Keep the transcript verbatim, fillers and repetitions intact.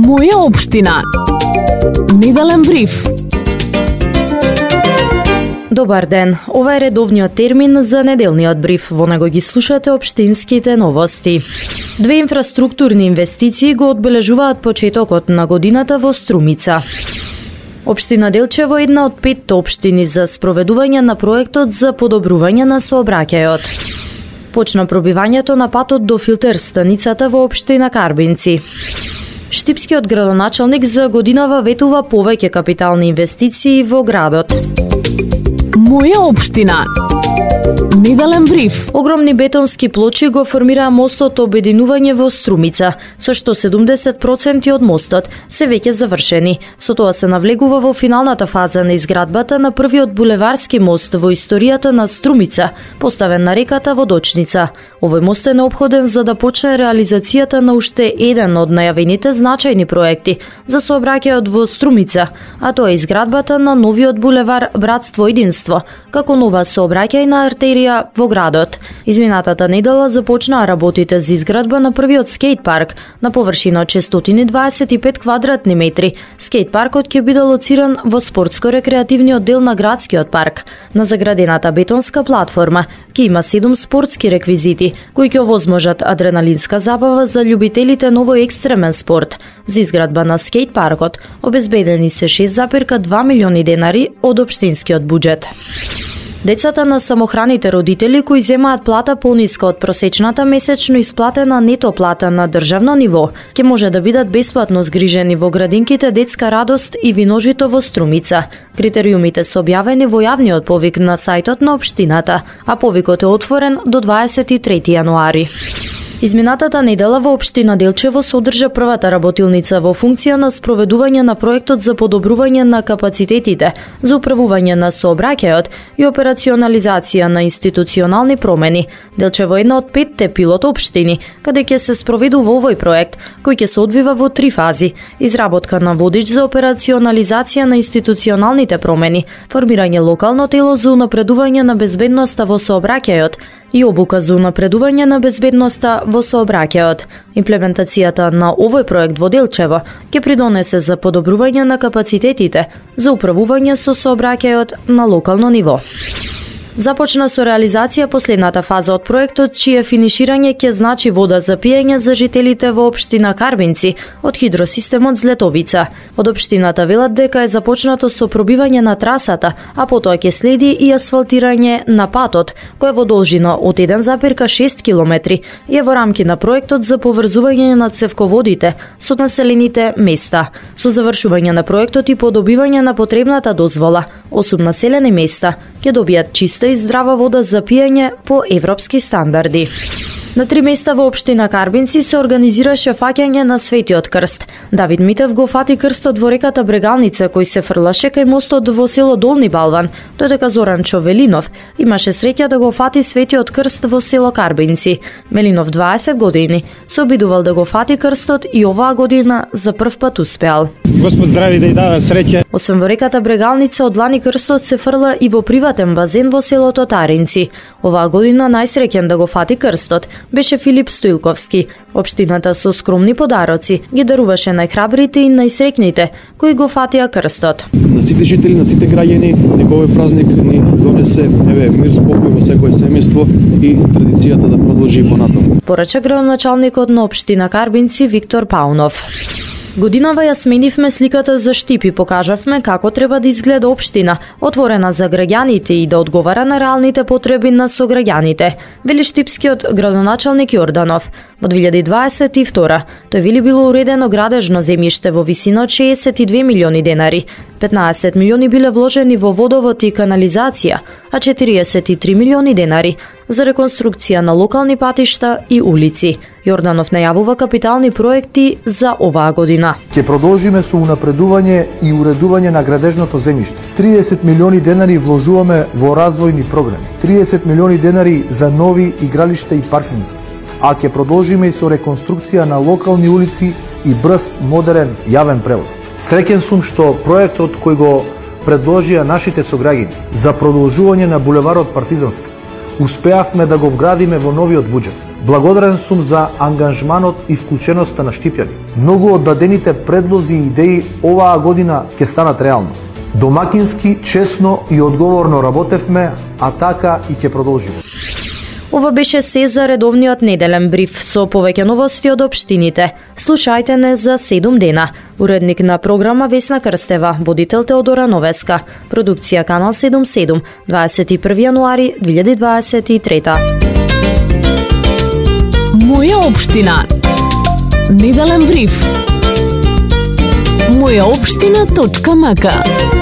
Моја општина. Неделен бриф. Добар ден, ова е редовниот термин за неделниот бриф. Во него ги слушате општинските новости. Две инфраструктурни инвестиции го одбележуваат почетокот на годината во Струмица. Општина Делчево е една од петте општини за спроведување на проектот за подобрување на сообраќајот. Почна пробивањето на патот до филтер станицата во општина Карбинци. Штипскиот градоначалник за годинава ветува повеќе капитални инвестиции во градот. Моја општина. Неделен бриф. Огромни бетонски плочи го формираа мостот обединување во Струмица, со што седумдесет проценти од мостот се веќе завршени. Со тоа се навлегува во финалната фаза на изградбата на првиот булеварски мост во историјата на Струмица, поставен на реката Водочница. Овој мост е неопходен за да почне реализацијата на уште еден од најавените значајни проекти за сообраќајот во Струмица, а тоа е изградбата на новиот булевар Братство единство, како нова сообраќајна артерија во градот. Изминатата недела започнаа работите за изградба на првиот скејт парк на површина од шестстотини дваесет и пет квадратни метри. Скејт паркот ќе биде лоциран во спортско-рекреативниот дел на градскиот парк. На заградената бетонска платформа ќе има седум спортски реквизити кои ќе овозможат адреналинска забава за љубителите на овој екстремен спорт. За изградба на скејт паркот обезбедени се шест зарез два милиони денари од општинскиот буџет. Децата на самохраните родители кои земаат плата пониска од просечната месечно исплатена нето плата на државно ниво, ќе може да бидат бесплатно згрижени во градинките Детска радост и Виножито во Струмица. Критериумите се објавени во јавниот повик на сајтот на општината, а повикот е отворен до дваесет и трети јануари. Изминатата недела во општина Делчево се одржа првата работилница во функција на спроведување на проектот за подобрување на капацитетите за управување на сообраќајот и операционализација на институционални промени. Делчево е една од петте пилот општини каде ќе се спроведува овој проект, кој ќе се одвива во три фази: изработка на водич за операционализација на институционалните промени, формирање локално тело за унапредување на безбедноста во сообраќајот и обука за унапредување на безбедноста во сообраќајот. Имплементацијата на овој проект во Делчево ќе придонесе за подобрување на капацитетите за управување со сообраќајот на локално ниво. Започна со реализација последната фаза од проектот, чие финиширање ќе значи вода за пиење за жителите во општина Карбинци од хидросистемот Злетовица. Од општината велат дека е започнато со пробивање на трасата, а потоа ќе следи и асфалтирање на патот, кој е во должина од еден зарез шест километри и е во рамки на проектот за поврзување на цевководите со населените места. Со завршување на проектот и подобивање на потребната дозвола, осум населени места ќе добијат чиста и здрава вода за пиење по европски стандарди. На три места во општина Карбинци се организираше фаќање на Светиот крст. Давид Митев го фати крстот во реката Брегалница, кој се фрлаше кај мостот во село Долни Балван, додека Зоран Човелинов имаше среќа да го фати Светиот крст во село Карбинци. Мелинов, дваесет години, се обидувал да го фати крстот и оваа година за прв пат успеал. Господ здрави да ја дава среќа. Освен во реката Брегалница, од лани крстот се фрла и во приватен базен во селото Таринци. Оваа година најсреќен да го фати крстот беше Филип Стоилковски. Општината со скромни подароци ги даруваше најхрабрите и најсреќните кои го фатија крстот. На сите жители, на сите граѓани, неговиот празник ни донесе еве мир, спокој во секое семејство и традицијата да продолжи понатаму. Порача градоначалникот на општина Карбинци Виктор Паунов. Годинава ја сменивме сликата за Штип и покажавме како треба да изгледа општина, отворена за граѓаните и да одговара на реалните потреби на сограѓаните, вели штипскиот градоначалник Јорданов. Во две илјади дваесет и втора тој вели било уредено градежно земјиште во висина од шеесет и две милиони денари, петнаесет милиони биле вложени во водовод и канализација, а четириесет и три милиони денари за реконструкција на локални патишта и улици. Јорданов најавува капитални проекти за оваа година. Ќе продолжиме со унапредување и уредување на градежното земјиште. триесет милиони денари вложуваме во развојни програми. триесет милиони денари за нови игралишта и паркинзи. А ќе продолжиме и со реконструкција на локални улици и брз, модерен јавен превоз. Среќен сум што проектот кој го предложија нашите сограѓани за продолжување на булеварот Партизански успеавме да го вградиме во новиот буџет. Благодарен сум за ангажманот и вклученоста на Штипјани. Многу од дадените предлози и идеи оваа година ќе станат реалност. Домакински, честно и одговорно работевме, а така и ќе продолжиме. Ова беше се за редовниот неделен бриф со повеќе новости од општините. Слушајте не за седум дена. Уредник на програма Весна Крстева, водител Теодора Новеска, продукција Канал седум седум, дваесет и први јануари две илјади дваесет и трета. Моја општина. Неделен бриф. моја општина точка м к